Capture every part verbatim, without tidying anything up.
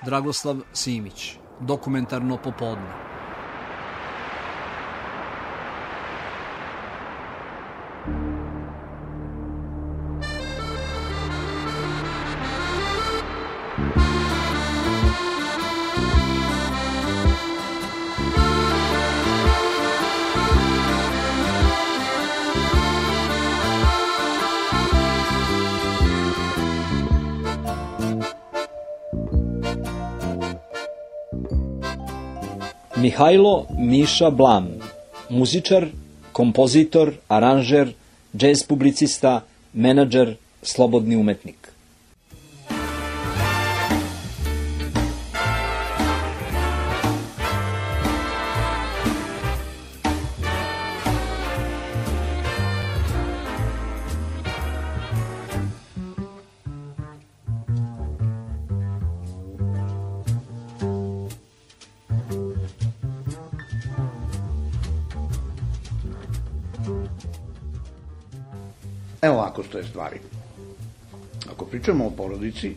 Dragoslav Simić, Dokumentarno popodne. Mihajlo Miša Blam, muzičar, kompozitor, aranžer, džez publicista, menadžer, slobodni umetnik. Evo ovako stoje stvari. Ako pričamo o porodici,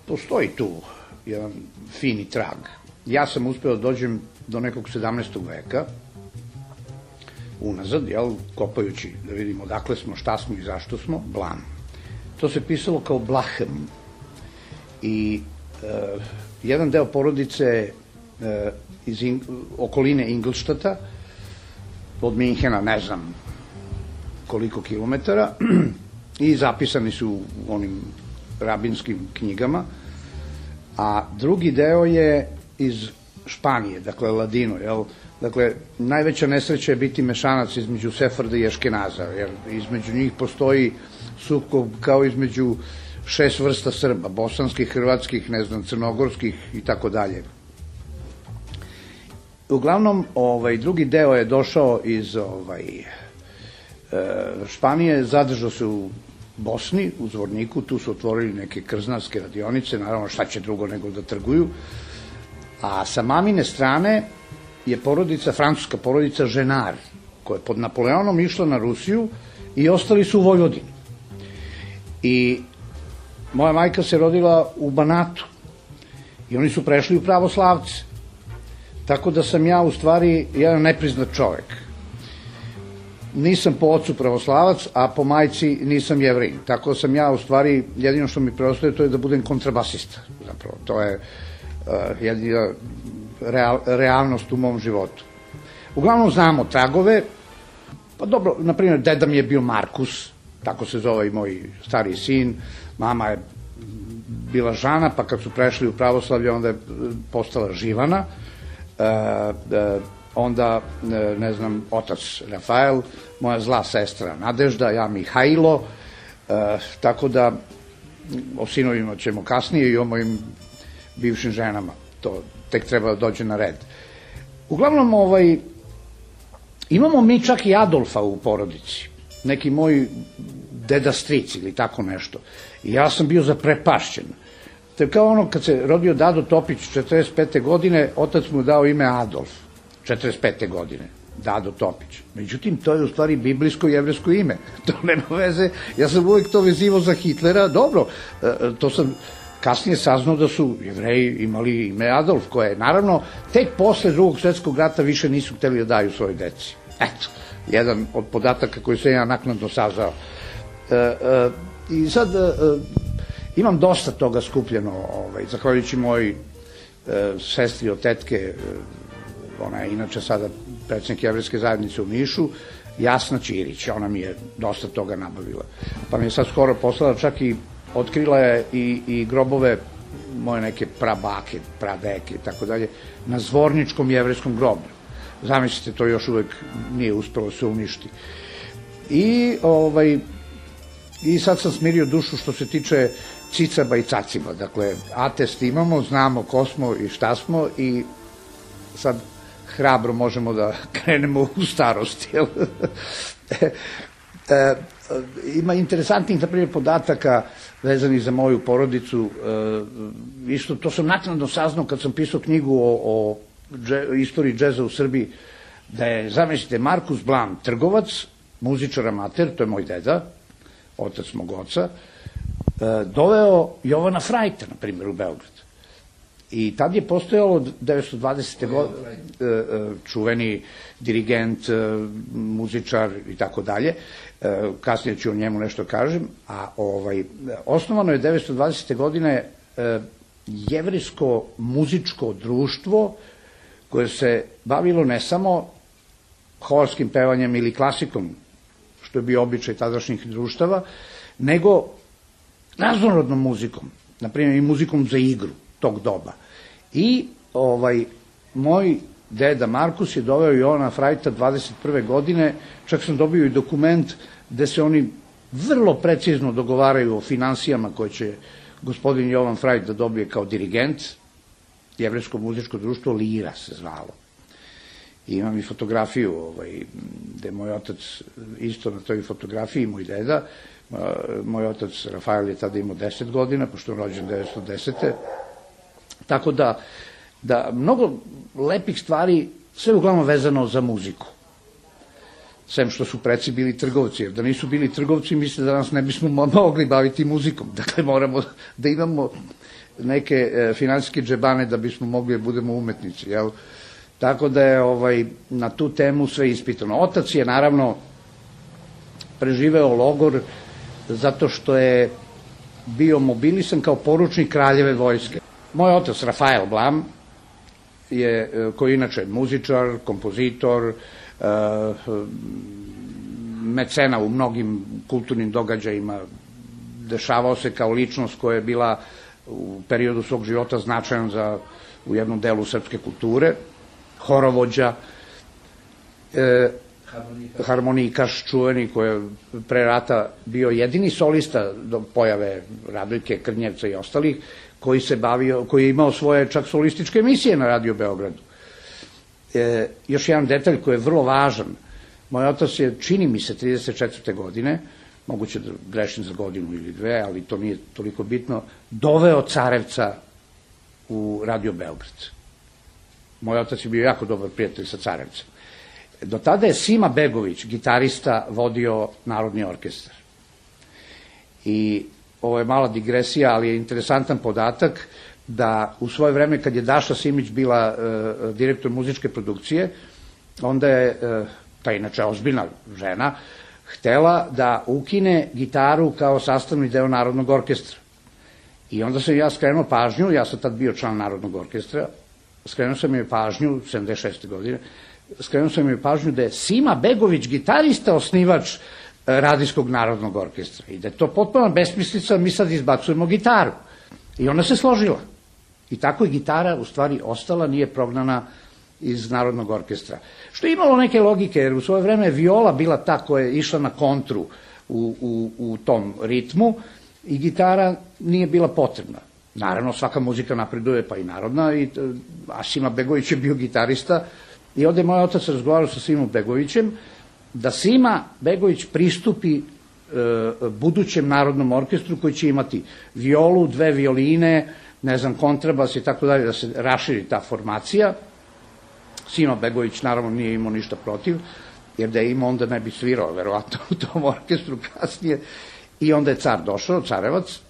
postoji tu jedan fini trag. Ja sam uspeo da dođem do nekog sedamnaestog veka, unazad, jel, kopajući da vidimo odakle smo, šta smo i zašto smo, Blam. To se pisalo kao Blahem. I e, jedan deo porodice e, iz in, okoline Ingolštata, od Minhena, ne znam koliko kilometara, i zapisani su u onim rabinskim knjigama, a drugi deo je iz Španije, dakle Ladino, jel? Dakle, najveća nesreća je biti mešanac između Sefarda i Eškenaza, jer između njih postoji sukob kao između šest vrsta Srba, bosanskih, hrvatskih, ne znam, crnogorskih i tako dalje. Uglavnom, ovaj, drugi deo je došao iz ovaj, Španije, zadržao se u Bosni, u Zvorniku, tu su otvorili neke krznarske radionice, naravno šta će drugo nego da trguju, a sa mamine strane je porodica, francuska porodica Ženar, koja je pod Napoleonom išla na Rusiju i ostali su u Vojvodini. I moja majka se rodila u Banatu i oni su prešli u pravoslavce, tako da sam ja u stvari jedan nepriznat čovek. Nisam po ocu pravoslavac, a po majci nisam Jevrin. Tako sam ja, u stvari, jedino što mi preostaje, to je da budem kontrabasista. Zapravo, to je uh, jedina real, realnost u mom životu. Uglavnom znamo tragove. Pa dobro, na primjer, deda mi je bio Markus, tako se zove i moj stariji sin. Mama je bila Žana, pa kad su prešli u pravoslavlje, onda je postala Živana. Uh, uh, onda, ne znam, otac Rafael, moja zla sestra Nadežda, ja Mihajlo, e, tako da o sinovima ćemo kasnije i o mojim bivšim ženama, to tek treba da dođe na red. Uglavnom, ovaj, imamo mi čak i Adolfa u porodici, neki moj deda stric ili tako nešto, i ja sam bio zaprepašćen. To je kao ono kad se rodio Dado Topić četrdeset pete godine, otac mu dao ime Adolf. četrdeset pete godine, Dado Topić. Međutim, to je u stvari biblijsko i jevresko ime. To nema veze, ja sam uvijek to vezivao za Hitlera, dobro, to sam kasnije saznao da su Jevreji imali ime Adolf, koje je, naravno, tek posle drugog svjetskog rata više nisu hteli da daju svojoj deci. Eto, jedan od podataka koji sam ja naknadno saznao. E, e, I sad, e, imam dosta toga skupljeno, ovaj, zahvaljujući moj e, sestri od tetke, e, ona je inače sada predsjednik Jevrejske zajednice u Nišu, Jasna Ćirić, ona mi je dosta toga nabavila. Pa mi je sad skoro poslala, čak i otkrila je i, i grobove moje neke prabake, pradeke i tako dalje, na Zvorničkom jevrejskom groblju. Zamislite, to još uvek nije uspelo se uništi. I, ovaj, i sad sam smirio dušu što se tiče cicaba i caciba. Dakle, atest imamo, znamo ko smo i šta smo i sad hrabro možemo da krenemo u starosti. e, e, ima interesantnih, na primjer, podataka vezanih za moju porodicu. E, isto, to sam naknadno saznao kad sam pisao knjigu o, o dže, istoriji džeza u Srbiji, da je, zamislite, Markus Blam trgovac, muzičar amater, to je moj deda, otac mog oca, doveo Jovana Frajta, na primjer, u Beograd. I tad je postojalo devetsto dvadesete. godine čuveni dirigent, muzičar i tako dalje. Kasnije ću o njemu nešto kažem. A osnovano je devetsto dvadesete. godine jevrejsko muzičko društvo koje se bavilo ne samo horskim pevanjem ili klasikom, što je bio običaj tadašnjih društava, nego raznorodnom muzikom, na primjer i muzikom za igru tog doba. I moj deda Markus je doveo Jovana Frajta dvadeset prve. godine, čak sam dobio i dokument gde se oni vrlo precizno dogovaraju o finansijama koje će gospodin Jovan Frajt da dobije kao dirigent. Jevrejsko muzičko društvo Lira se zvalo. I imam i fotografiju gde je moj otac isto na toj fotografiji, moj deda. Moj otac Rafael je tada imao deset godina, pošto je rođen devetsto desete. Tako da, da mnogo lepih stvari, sve uglavnom vezano za muziku. Sem što su preci bili trgovci, jer da nisu bili trgovci, mislim da nas ne bismo mogli baviti muzikom. Dakle, moramo da imamo neke finansijske džebane da bismo mogli da budemo umetnici, jel? Tako da je na tu temu sve ispitano. Otac je, naravno, preživeo logor zato što je bio mobilisan kao poručnik kraljeve vojske. Moj otac, Rafael Blam, koji je inače muzičar, kompozitor, mecena u mnogim kulturnim događajima, dešavao se kao ličnost koja je bila u periodu svog života značajan za u jednom delu srpske kulture, horovođa, harmonikaš čuveni koji je pre rata bio jedini solista do pojave Radojke, Krnjevca i ostalih, koji se bavio, koji je imao svoje čak solističke emisije na Radio Beogradu. Još jedan detalj koji je vrlo važan. Moj otac je, čini mi se, trideset četvrte. godine, moguće da grešim za godinu ili dve, ali to nije toliko bitno, doveo Carevca u Radio Beograd. Moj otac je bio jako dobar prijatelj sa Carevcem. Do tada je Sima Begović, gitarista, vodio Narodni orkestar. I ovo je mala digresija, ali je interesantan podatak da u svoje vreme kad je Daša Simić bila direktor muzičke produkcije, onda je, ta inače ozbiljna žena, htela da ukine gitaru kao sastavni deo Narodnog orkestra. I onda sam ja skrenuo pažnju, ja sam tad bio član Narodnog orkestra, skrenuo sam joj pažnju, sedamdeset šeste. godine, skrenuo sam joj pažnju da je Sima Begović, gitarista, osnivač Radijskog Narodnog orkestra. I da je to potpuno besmislica, mi sad izbacujemo gitaru. I ona se složila. I tako je gitara u stvari ostala, nije prognana iz Narodnog orkestra. Što je imalo neke logike, jer u svoje vreme je viola bila ta koja je išla na kontru u, u, u tom ritmu i gitara nije bila potrebna. Naravno, svaka muzika napreduje, pa i narodna, i, a Sima Begović je bio gitarista i ovde je moj otac razgovarao sa Simom Begovićem da Sima Begović pristupi e, budućem Narodnom orkestru koji će imati violu, dve violine, ne znam, kontrabas i tako dalje, da se raširi ta formacija. Sima Begović naravno nije imao ništa protiv, jer da je imao onda ne bi svirao, verovatno, u tom orkestru kasnije. I onda je car došao, Carevac,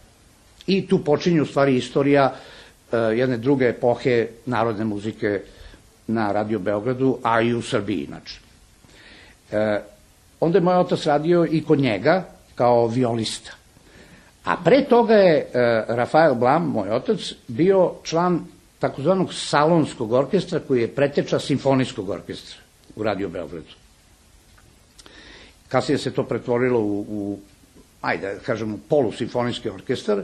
i tu počinje u stvari istorija uh, jedne druge epohe narodne muzike na Radio Beogradu, a i u Srbiji inače. Uh, onda je moj otac radio i kod njega kao violista. A pre toga je uh, Rafael Blam, moj otac, bio član takozvanog salonskog orkestra koji je preteča simfonijskog orkestra u Radio Beogradu. Kasnije se to pretvorilo u, u ajde, kažemo, polusimfonijski orkestar,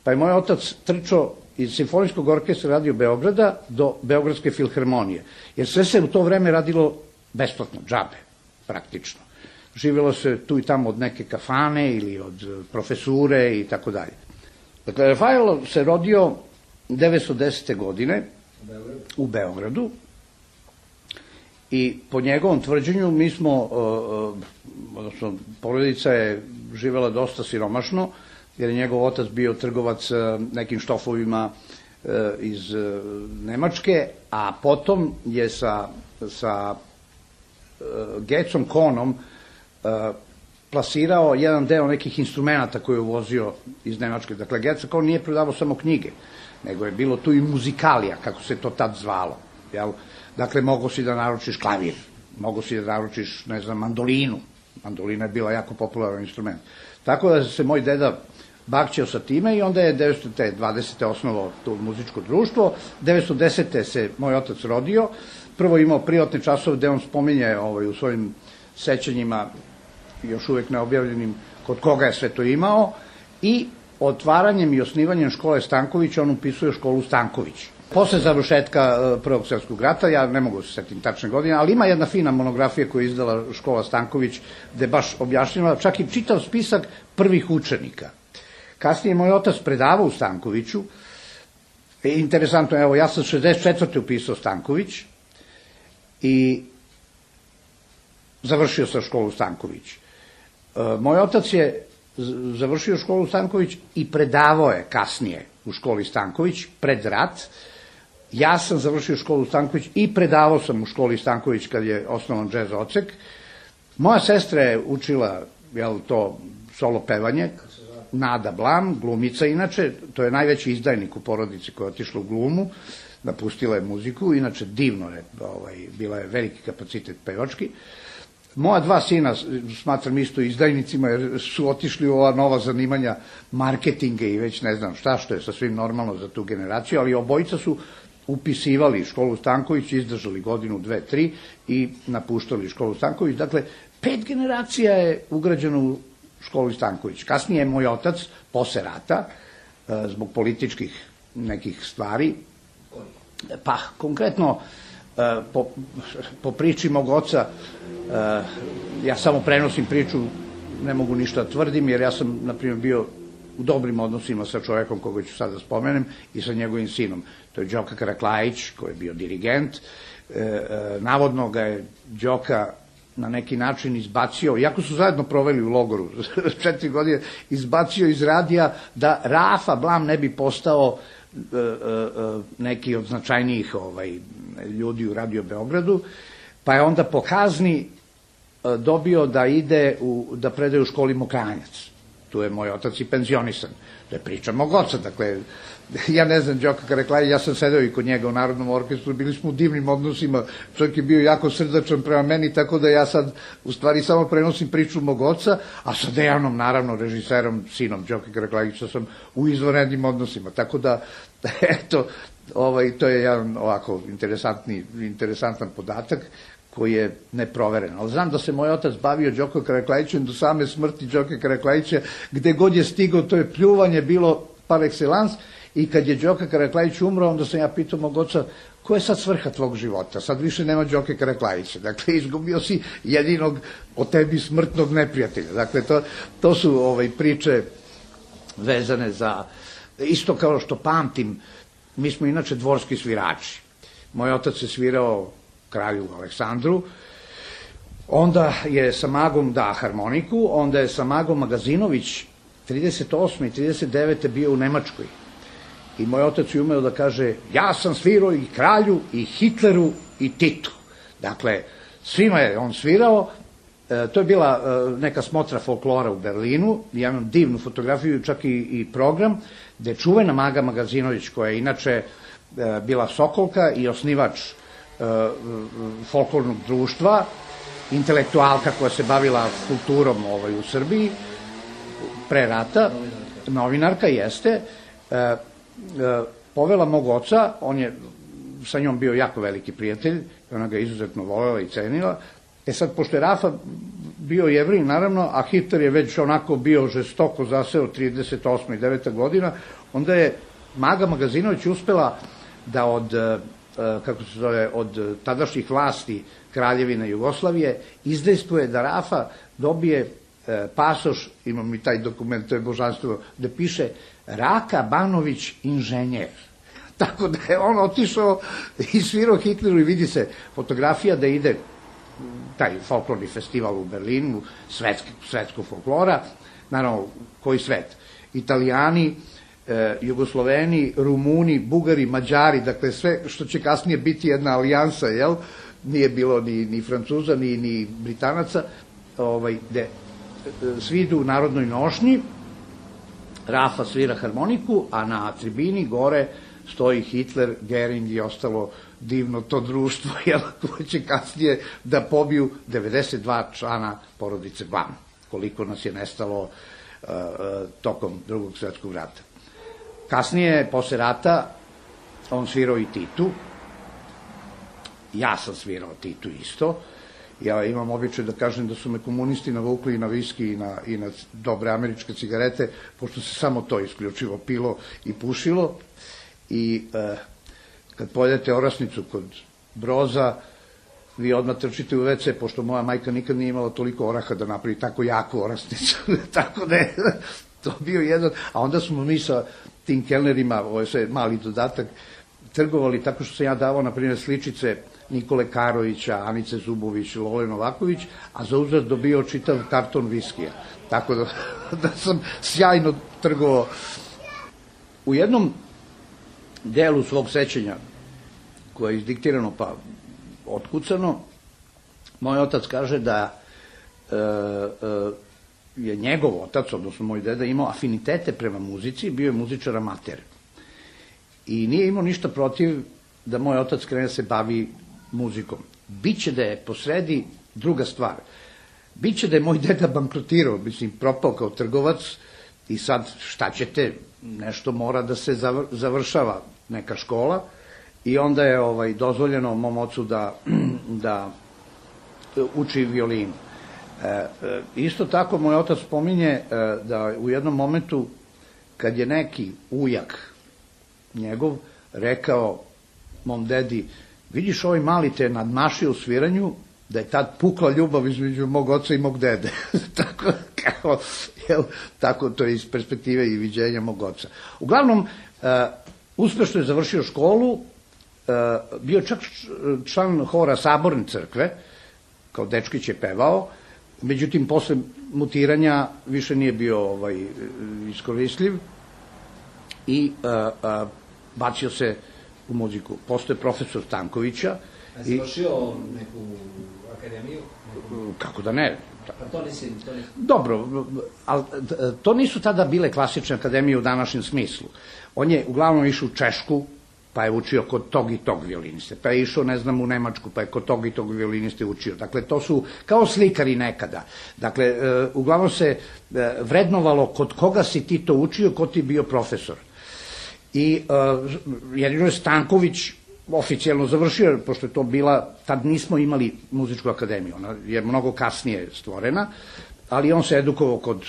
pa je moj otac trčao iz simfonijskog orkestra Radio Beograda do Beogradske filharmonije, jer sve se u to vreme radilo besplatno, džabe, praktično. Živjelo se tu i tamo od neke kafane ili od profesure i tako dalje. Dakle, Rafael se rodio devetsto desete. godine u Beogradu i po njegovom tvrđenju mi smo, odnosno porodica je živjela dosta siromašno, jer je njegov otac bio trgovac nekim štofovima iz Nemačke, a potom je sa, sa Gecom Kohnom plasirao jedan deo nekih instrumenta koje je uvozio iz Nemačke. Dakle, Gercek, on nije prodavao samo knjige, nego je bilo tu i muzikalija, kako se to tad zvalo. Jel? Dakle, mogo si da naručiš klavir, mogo si da naručiš, ne znam, mandolinu. Mandolina je bila jako popularan instrument. Tako da se moj deda bakćeo sa time i onda je devetsto dvadesete osnovao to muzičko društvo. devetsto desete se moj otac rodio. Prvo imao privatne časove gde on spominje ovaj, u svojim sećanjima, još uvek neobjavljenim, kod koga je sve to imao, i otvaranjem i osnivanjem škole Stanković on upisuje školu Stanković. Posle završetka Prvog svjetskog rata, ja ne mogu se setim tačne godine, ali ima jedna fina monografija koju je izdala škola Stanković, gde baš objašnjava čak i čitav spisak prvih učenika. Kasnije moj otac predavao u Stankoviću. E, interesantno, evo, ja sam šezdeset četvrte upisao Stanković i završio sam školu Stanković. E, moj otac je završio školu Stanković i predavao je kasnije u školi Stanković, pred rat. Ja sam završio školu Stanković i predavao sam u školi Stanković kad je osnovan džez odsek. Moja sestra je učila, jel, to solo pevanje, Nada Blam, glumica inače, to je najveći izdajnik u porodici koja je otišla u glumu, napustila je muziku, inače divno je, ovaj, bila je veliki kapacitet pevački. Moja dva sina, smatram isto izdajnicima, jer su otišli u ova nova zanimanja marketinga i već ne znam šta, što je sasvim normalno za tu generaciju, ali obojica su upisivali školu Stanković, izdržali godinu, dve, tri i napuštali školu Stanković. Dakle, pet generacija je ugrađeno u školu Stanković. Kasnije je moj otac, posle rata, zbog političkih nekih stvari, pa konkretno po, po priči mog oca, ja samo prenosim priču, ne mogu ništa da tvrdim, jer ja sam, na primjer, bio u dobrim odnosima sa čovekom koga ću sad da spomenem i sa njegovim sinom. To je Đoka Karaklajić, koji je bio dirigent. Navodno ga je Đoka na neki način izbacio, iako su zajedno proveli u logoru četiri godine, izbacio iz radija da Rafa Blam ne bi postao e, e, neki od značajnijih ovaj, ljudi u Radio Beogradu, pa je onda po kazni e, dobio da ide, u, da predaje u školi Mokranjac. Tu je moj otac i penzionisan. To je priča mog oca, dakle, ja ne znam, Đoka Karaklajić, ja sam sedeo i kod njega u Narodnom orkestru, bili smo u divnim odnosima, čovjek je bio jako srdačan prema meni, tako da ja sad u stvari samo prenosim priču mog oca, a sa Dejanom, naravno, režiserom, sinom Đoka Karaklajića sam u izvanrednim odnosima, tako da, eto, ovaj, to je jedan ovako interesantni, interesantan podatak koji je neproveren. Ali znam da se moj otac bavio Đokom Karaklajićem do same smrti Đoka Karaklajića, gde god je stigao, to je pljuvanje bilo par excellence. I kad je Đoka Karaklajić umro, onda sam ja pitao mog oca, ko je sad svrha tvog života? Sad više nema Đoke Karaklajića. Dakle, izgubio si jedinog od tebi smrtnog neprijatelja. Dakle, to, to su ovaj, priče vezane za... Isto kao što pamtim, mi smo inače dvorski svirači. Moj otac je svirao kralju Aleksandru, onda je sa Magom da harmoniku, onda je sa Magom Magazinović trideset osme i trideset devete bio u Nemačkoj. I moj otac je umeo da kaže, ja sam svirao i kralju, i Hitleru, i Titu. Dakle, svima je on svirao. E, to je bila e, neka smotra folklora u Berlinu. Ja imam divnu fotografiju, čak i, i program, gde je čuvena Maga Magazinović, koja je inače e, bila Sokolka i osnivač e, folklornog društva, intelektualka koja se bavila kulturom ovaj, u Srbiji, pre rata, novinarka, novinarka jeste, e, povela mog oca, on je sa njom bio jako veliki prijatelj, ona ga izuzetno volela i cenila. E sad, pošto je Rafa bio Jevrin, naravno, a Hitler je već onako bio žestoko zaseo trideset osma i deveta godina, onda je Maga Magazinović uspela da od, kako se zove, od tadašnjih vlasti Kraljevine Jugoslavije izdejstvuje da Rafa dobije pasoš, imam i taj dokument, to je božanstvo, da piše Raka Banović inženjer. Tako da je on otišao i svirao Hitleru i vidi se fotografija da ide taj folklorni festival u Berlinu, svetski, svetskog folklora, naravno, koji svet? Italijani, e, Jugosloveni, Rumuni, Bugari, Mađari, dakle sve što će kasnije biti jedna alijansa, jel? Nije bilo ni, ni Francuza, ni, ni Britanaca, ovaj, gde svi idu u narodnoj nošnji, Rafa svira harmoniku, a na tribini gore stoji Hitler, Gering i ostalo divno to društvo, jel, koje će kasnije da pobiju devedeset dva člana porodice Blam, koliko nas je nestalo uh, tokom drugog svetskog rata. Kasnije, posle rata, on svirao i Titu, ja sam svirao Titu isto, ja imam običaj da kažem da su me komunisti navukli i na viski i na, i na dobre američke cigarete, pošto se samo to isključivo pilo i pušilo. I e, kad pojedete orasnicu kod Broza, vi odmah trčite u ve ce, pošto moja majka nikad nije imala toliko oraha da napravi tako jaku orasnicu. Tako da je to bio jedan, a onda smo mi sa tim kelnerima, ovo je sve mali dodatak, trgovali tako što sam ja davao, na primjer, sličice Nikole Karovića, Anice Zubović, Lole Novaković, a za uzvrat dobio čitav karton viskija. Tako da, da sam sjajno trgovao. U jednom delu svog sećanja, koje je izdiktirano pa otkucano, moj otac kaže da e, e, je njegov otac, odnosno moj deda, imao afinitete prema muzici, bio je muzičar amater. I nije imao ništa protiv da moj otac krene se bavi muzikom. Biće da je posredi druga stvar. Biće da je moj deda bankrotirao, mislim, propao kao trgovac i sad šta ćete, nešto mora da se završava neka škola i onda je ovaj, dozvoljeno mom ocu da, da uči violinu. E, e, isto tako moj otac spominje e, da u jednom momentu kad je neki ujak njegov rekao mom dedi, vidiš ovaj mali te nadmašio u sviranju, da je tad pukla ljubav između mog oca i mog dede. tako, kao, jel, tako to je iz perspektive i viđenja mog oca. Uglavnom, uh, uspešno je završio školu, uh, bio čak član hora Saborne crkve, kao dečkić je pevao, međutim, posle mutiranja više nije bio ovaj, iskoristljiv i uh, uh, bacio se u muziku. Postoje profesor Stankovića. A si završio neku akademiju? Neku... Kako da ne? Pa to nisi... To nisi... Dobro, ali to nisu tada bile klasične akademije u današnjem smislu. On je uglavnom išao u Češku, pa je učio kod tog i tog violiniste, pa je išao, ne znam, u Nemačku, pa je kod tog i tog violiniste učio. Dakle, to su kao slikari nekada. Dakle, uglavnom se vrednovalo kod koga si ti to učio, ko ti bio profesor. I uh, jedino je Stanković oficijalno završio, pošto je to bila, tad nismo imali muzičku akademiju, ona je mnogo kasnije stvorena, ali on se edukovao kod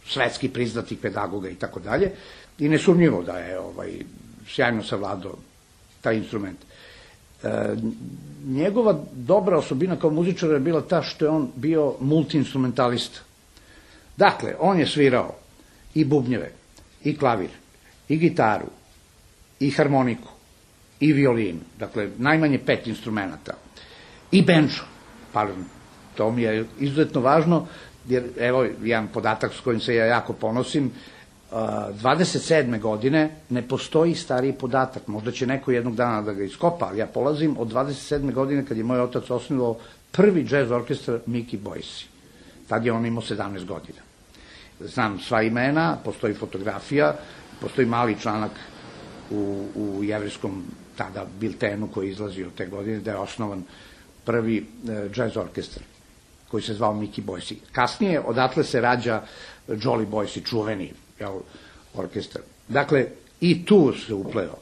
svetski priznatih pedagoga i tako dalje, i nesumnjivo da je ovaj, sjajno savladao taj instrument. E, njegova dobra osobina kao muzičara je bila ta što je on bio multiinstrumentalista. Dakle, on je svirao i bubnjeve, i klavir, i gitaru, i harmoniku, i violinu, dakle, najmanje pet instrumenta, i benčo, pardon, to mi je izuzetno važno, jer, evo, jedan podatak s kojim se ja jako ponosim, dvadeset sedme godine ne postoji stariji podatak, možda će neko jednog dana da ga iskopa, ali ja polazim od dvadeset sedme godine kad je moj otac osnovao prvi džez orkestar Mickey Boyce. Tad je on imao sedamnaest godina. Znam sva imena, postoji fotografija, postoji mali članak u, u jevrijskom tada biltenu koji je izlazio te godine, da je osnovan prvi e, džez orkestar koji se zvao Mickey Boyce. Kasnije odatle se rađa Jolly Boyce, čuveni jel, orkestar. Dakle, i tu se upleo.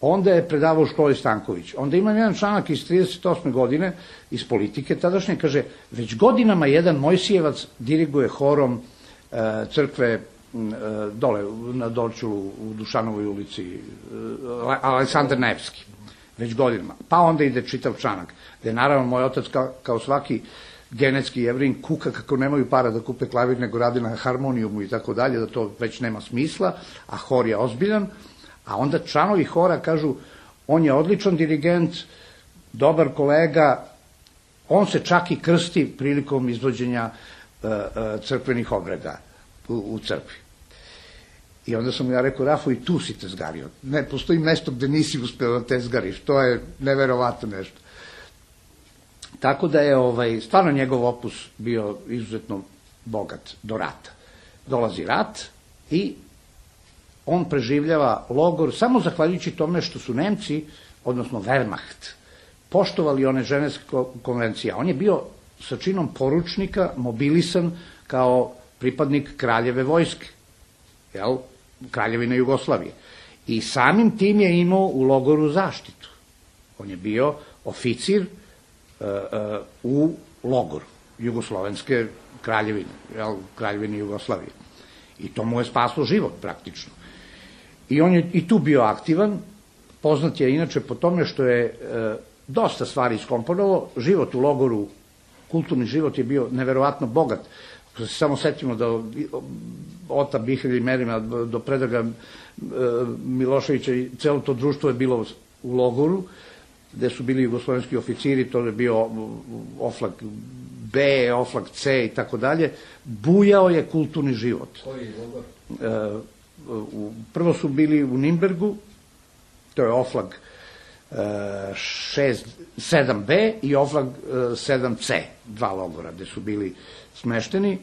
Onda je predavao u školi Stanković. Onda imam jedan članak iz trideset osme godine iz politike tadašnje, kaže, već godinama jedan Mojsijevac diriguje horom e, crkve e, dole na Dorčulu u Dušanovoj ulici, e, Aleksandar Nevski. Već godinama. Pa onda ide čitav članak, gde naravno moj otac kao, kao svaki genetski Jevrin kuka kako nemaju para da kupe klavir, nego radi na harmonijumu i tako dalje, da to već nema smisla, a hor je ozbiljan, a onda članovi hora kažu, on je odličan dirigent, dobar kolega, on se čak i krsti prilikom izvođenja uh, uh, crkvenih obreda u, u crkvi. I onda sam ja rekao, Rafo, i tu si tezgario. Ne, postoji mesto gde nisi uspeo da tezgariš, to je neverovatno nešto. Tako da je ovaj, stvarno njegov opus bio izuzetno bogat do rata. Dolazi rat i on preživljava logor samo zahvaljujući tome što su Nemci, odnosno Wehrmacht, poštovali one ženevske konvencije. On je bio sa činom poručnika mobilisan kao pripadnik kraljeve vojske, jel, kraljevine Jugoslavije. I samim tim je imao u logoru zaštitu. On je bio oficir uh, uh, u logoru Jugoslovenske kraljevine, jel, kraljevine Jugoslavije. I to mu je spaslo život praktično. I on je i tu bio aktivan, poznat je inače po tome što je e, dosta stvari iskomponovao. Život u logoru, kulturni život je bio neverovatno bogat. Ako se samo setimo da Ota Bihelja i Merima do Predraga e, Miloševića i celo to društvo je bilo u logoru, gde su bili jugoslovenski oficiri, to je bio Oflak B, Oflak C i tako dalje. Bujao je kulturni život. Koji logor? E, u, prvo su bili u Nimbergu, to je Oflag sedam B i Oflag sedam C, dva logora, gde su bili smešteni,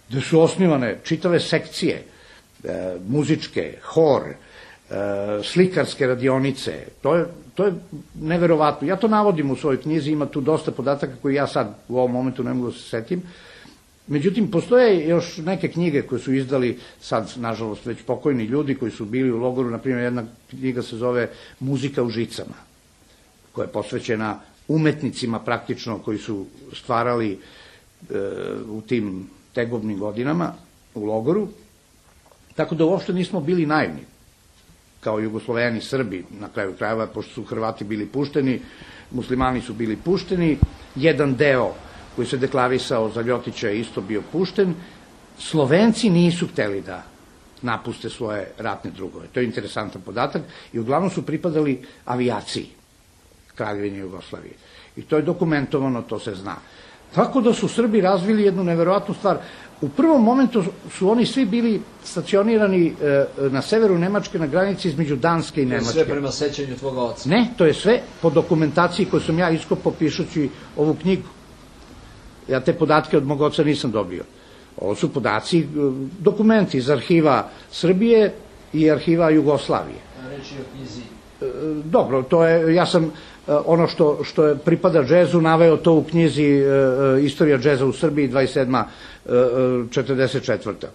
gde su osnivane čitave sekcije, e, muzičke, hor, e, slikarske radionice. To je, to je neverovatno. Ja to navodim u svojoj knjizi, ima tu dosta podataka koji ja sad u ovom momentu ne mogu da se setim. Međutim, postoje još neke knjige koje su izdali sad, nažalost, već pokojni ljudi koji su bili u logoru. Naprimjer, jedna knjiga se zove Muzika u žicama, koja je posvećena umetnicima praktično koji su stvarali e, u tim tegobnim godinama u logoru. Tako da uopšte nismo bili naivni, kao Jugosloveni, Srbi, na kraju krajeva, pošto su Hrvati bili pušteni, muslimani su bili pušteni, jedan deo koji se deklarisao za Ljotića je isto bio pušten. Slovenci nisu hteli da napuste svoje ratne drugove. To je interesantan podatak i uglavnom su pripadali avijaciji Kraljevine Jugoslavije. I to je dokumentovano, to se zna. Tako da su Srbi razvili jednu neverovatnu stvar. U prvom momentu su oni svi bili stacionirani e, na severu Nemačke, na granici između Danske i Nemačke. To je sve prema sećanju tvoga oca? Ne, to je sve po dokumentaciji koju sam ja iskopao pišući ovu knjigu. Ja te podatke od mog oca nisam dobio. Ovo su podaci, dokumenti iz arhiva Srbije i arhiva Jugoslavije. A reći o knjizi? Dobro, to je, ja sam ono što, što je pripada džezu naveo to u knjizi Istorija džeza u Srbiji dvadeset sedma četrdeset četvrta.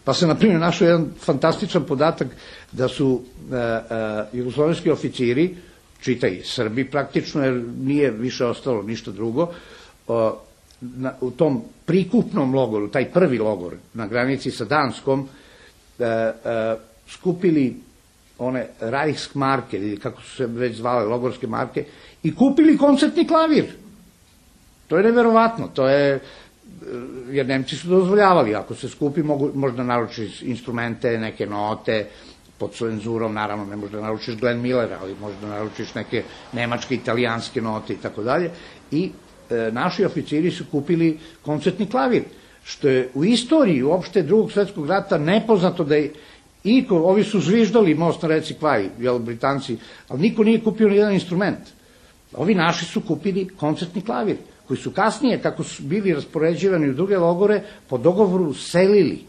Pa se, na primjer, našao jedan fantastičan podatak da su jugoslovenski oficiri, čitaj Srbi praktično, jer nije više ostalo ništa drugo, Na, u tom prikupnom logoru, taj prvi logor na granici sa Danskom, e, e, skupili one Reichsmarke, ili kako su se već zvale, logorske marke, i kupili koncertni klavir. To je neverovatno, to je, jer Nemci su dozvoljavali, ako se skupi, mogu, možda naručiš instrumente, neke note, pod cenzurom, naravno, ne možda naručiš Glenn Millera, ali možda naručiš neke nemačke, italijanske note i tako dalje, i naši oficiri su kupili koncertni klavir, što je u istoriji uopšte drugog svetskog rata nepoznato da je iko, ovi su zviždali most na reci Kvaj, jel, Britanci, ali niko nije kupio ni jedan instrument. Ovi naši su kupili koncertni klavir, koji su kasnije, kako su bili raspoređivani u druge logore, po dogovoru selili.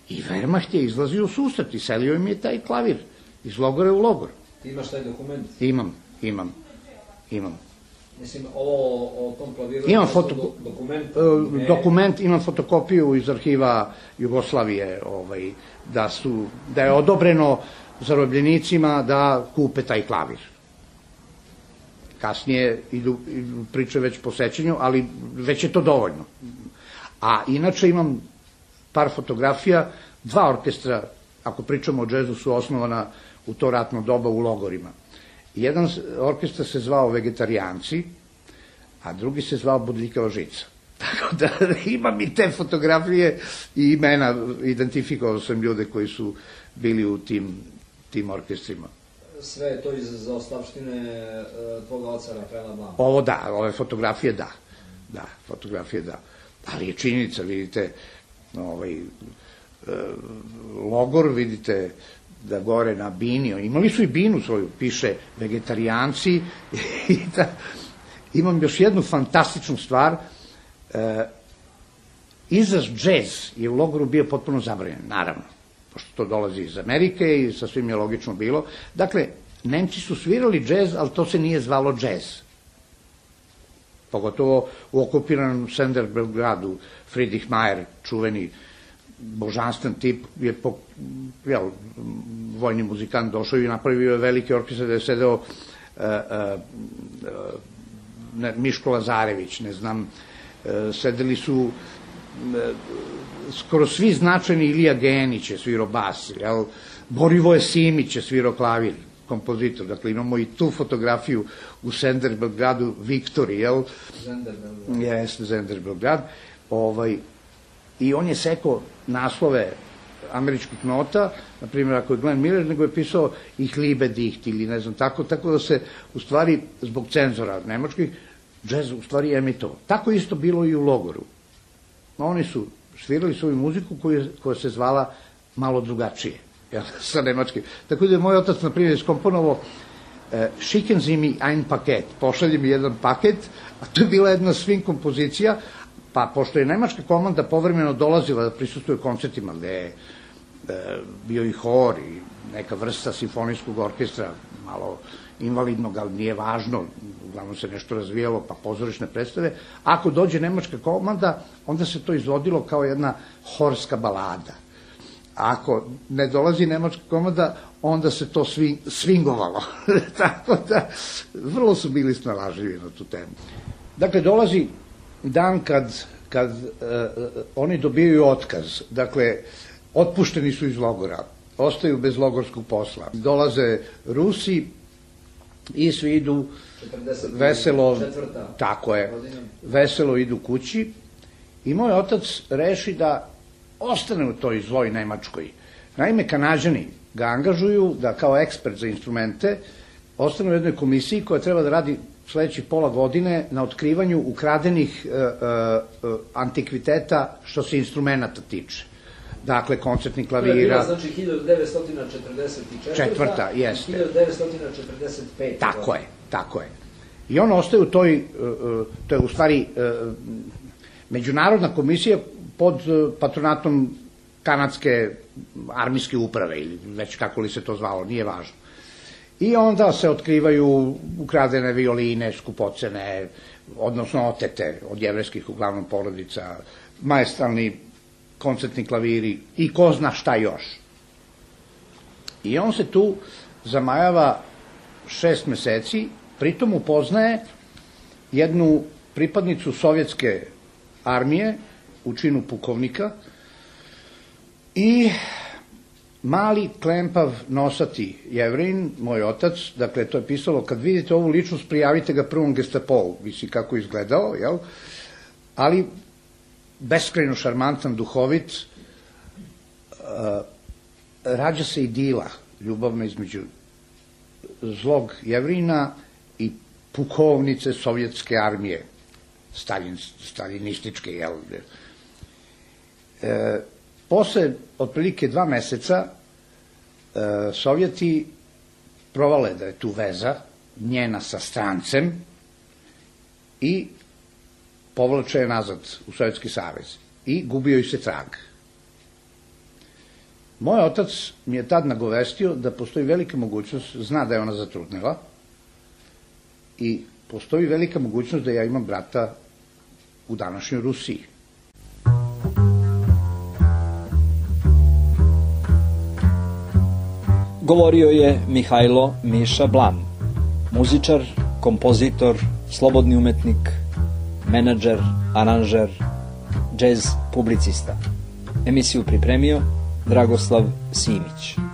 I Wehrmacht je izlazio u susret i selio im je taj klavir iz logora u logor. Ti imaš taj dokument? Imam, imam, imam. Mislim, ovo o tom klaviru... Imam foto, dokument, ne... dokument, imam fotokopiju iz arhiva Jugoslavije, ovaj, da, su, da je odobreno zarobljenicima da kupe taj klavir. Kasnije idu, idu priče već po sećanju, ali već je to dovoljno. A inače imam par fotografija, dva orkestra, ako pričamo o džezu, su osnovana u to ratno doba u logorima. Jedan orkestar se zvao Vegetarijanci, a drugi se zvao Bodljikava žica. Tako da imam i te fotografije i imena, identifikovao sam ljude koji su bili u tim, tim orkestrima. Sve je to iz zaostavštine tvoga oca Rafaela Blama? Ovo da, ove fotografije da, da, fotografije da. Ali je činjenica, vidite, ovaj, logor, vidite, da gore na bini, imali su i binu svoju, piše Vegetarijanci, i da, imam još jednu fantastičnu stvar, e, izraz džez je u logoru bio potpuno zabranjen, naravno, pošto to dolazi iz Amerike i sasvim je logično bilo. Dakle, Nemci su svirali džez, ali to se nije zvalo džez. Pogotovo u okupiranom Senderbelgradu, Friedrich Mayer, čuveni božanstven tip, je po, jel, vojni muzikant došao i napravio je veliki orkestar da je sedeo uh, uh, uh, Miško Lazarević, ne znam, uh, sedeli su uh, skoro svi značajni, Ilija Genić je svirao bas, jel, Borivoje Simić je svirao klavir, kompozitor, dakle imamo i tu fotografiju u Senderbelgradu, Viktori, jel? Zenderbelgrad. Jeste, Zenderbelgrad. Ovaj, I on je sekao naslove američkih nota, na primjer ako je Glenn Miller, nego je pisao Ich liebe dich ili ne znam tako, tako da se u stvari zbog cenzora nemačkih džez u stvari emitovao. Tako isto bilo i u logoru. Oni su svirali svoju muziku koja, koja se zvala malo drugačije, jel, sa nemačkim. Tako da je moj otac, na primjer, iskomponovao e, Schicken Sie mi ein Paket, pošalji mi jedan paket, a to je bila jedna swing kompozicija, pa pošto je nemačka komanda povremeno dolazila da prisustuje koncertima gde je e, bio i hor i neka vrsta simfonijskog orkestra, malo invalidnog, ali nije važno, uglavnom se nešto razvijalo, pa pozorišne predstave. Ako dođe nemačka komanda, onda se to izvodilo kao jedna horska balada. A ako ne dolazi nemačka komanda, onda se to sving, swingovalo. Tako da, vrlo su bili snalažljivi na tu temu. Dakle, dolazi dan kad, kad uh, oni dobijaju otkaz. Dakle, otpušteni su iz logora, ostaju bez logorskog posla. Dolaze Rusi i svi idu veselo, tako je, veselo idu kući i moj otac reši da ostane u toj zloj Nemačkoj. Naime, Kanađani ga angažuju da kao ekspert za instrumente ostane u jednoj komisiji koja treba da radi sledećih pola godine na otkrivanju ukradenih uh, uh, antikviteta što se instrumenta tiče. Dakle, koncertni klavira. To je bila, znači, hiljadu devetsto četrdeset četvrta. Četvrta, jeste. hiljadu devetsto četrdeset peta. Tako je, tako je. I on ostaje u toj, uh, to je u stvari uh, međunarodna komisija pod uh, patronatom kanadske armijske uprave, ili već kako li se to zvalo, nije važno. I onda se otkrivaju ukradene violine, skupocene, odnosno otete od jevrejskih uglavnom porodica, maestralni koncertni klaviri i ko zna šta još. I on se tu zamajava šest meseci, pritom upoznaje jednu pripadnicu sovjetske armije u činu pukovnika i mali, klempav, nosati Jevrin, moj otac, dakle, to je pisalo, kad vidite ovu ličnost, prijavite ga prvom Gestapovu, visi kako izgledao, jel? Ali beskrajno šarmantan, duhovit, uh, rađa se idila ljubavna između zlog Jevrina i pukovnice sovjetske armije, Stalin, stalinističke, jel? E, posle otprilike dva meseca e, Sovjeti provale da je tu veza njena sa strancem i povlače je nazad u Sovjetski savez i gubio joj se trag. Moj otac mi je tad nagovestio da postoji velika mogućnost, zna da je ona zatrudnela i postoji velika mogućnost da ja imam brata u današnjoj Rusiji. Govorio je Mihajlo Miša Blam, muzičar, kompozitor, slobodni umetnik, menadžer, aranžer, džez publicista. Emisiju pripremio Dragoslav Simić.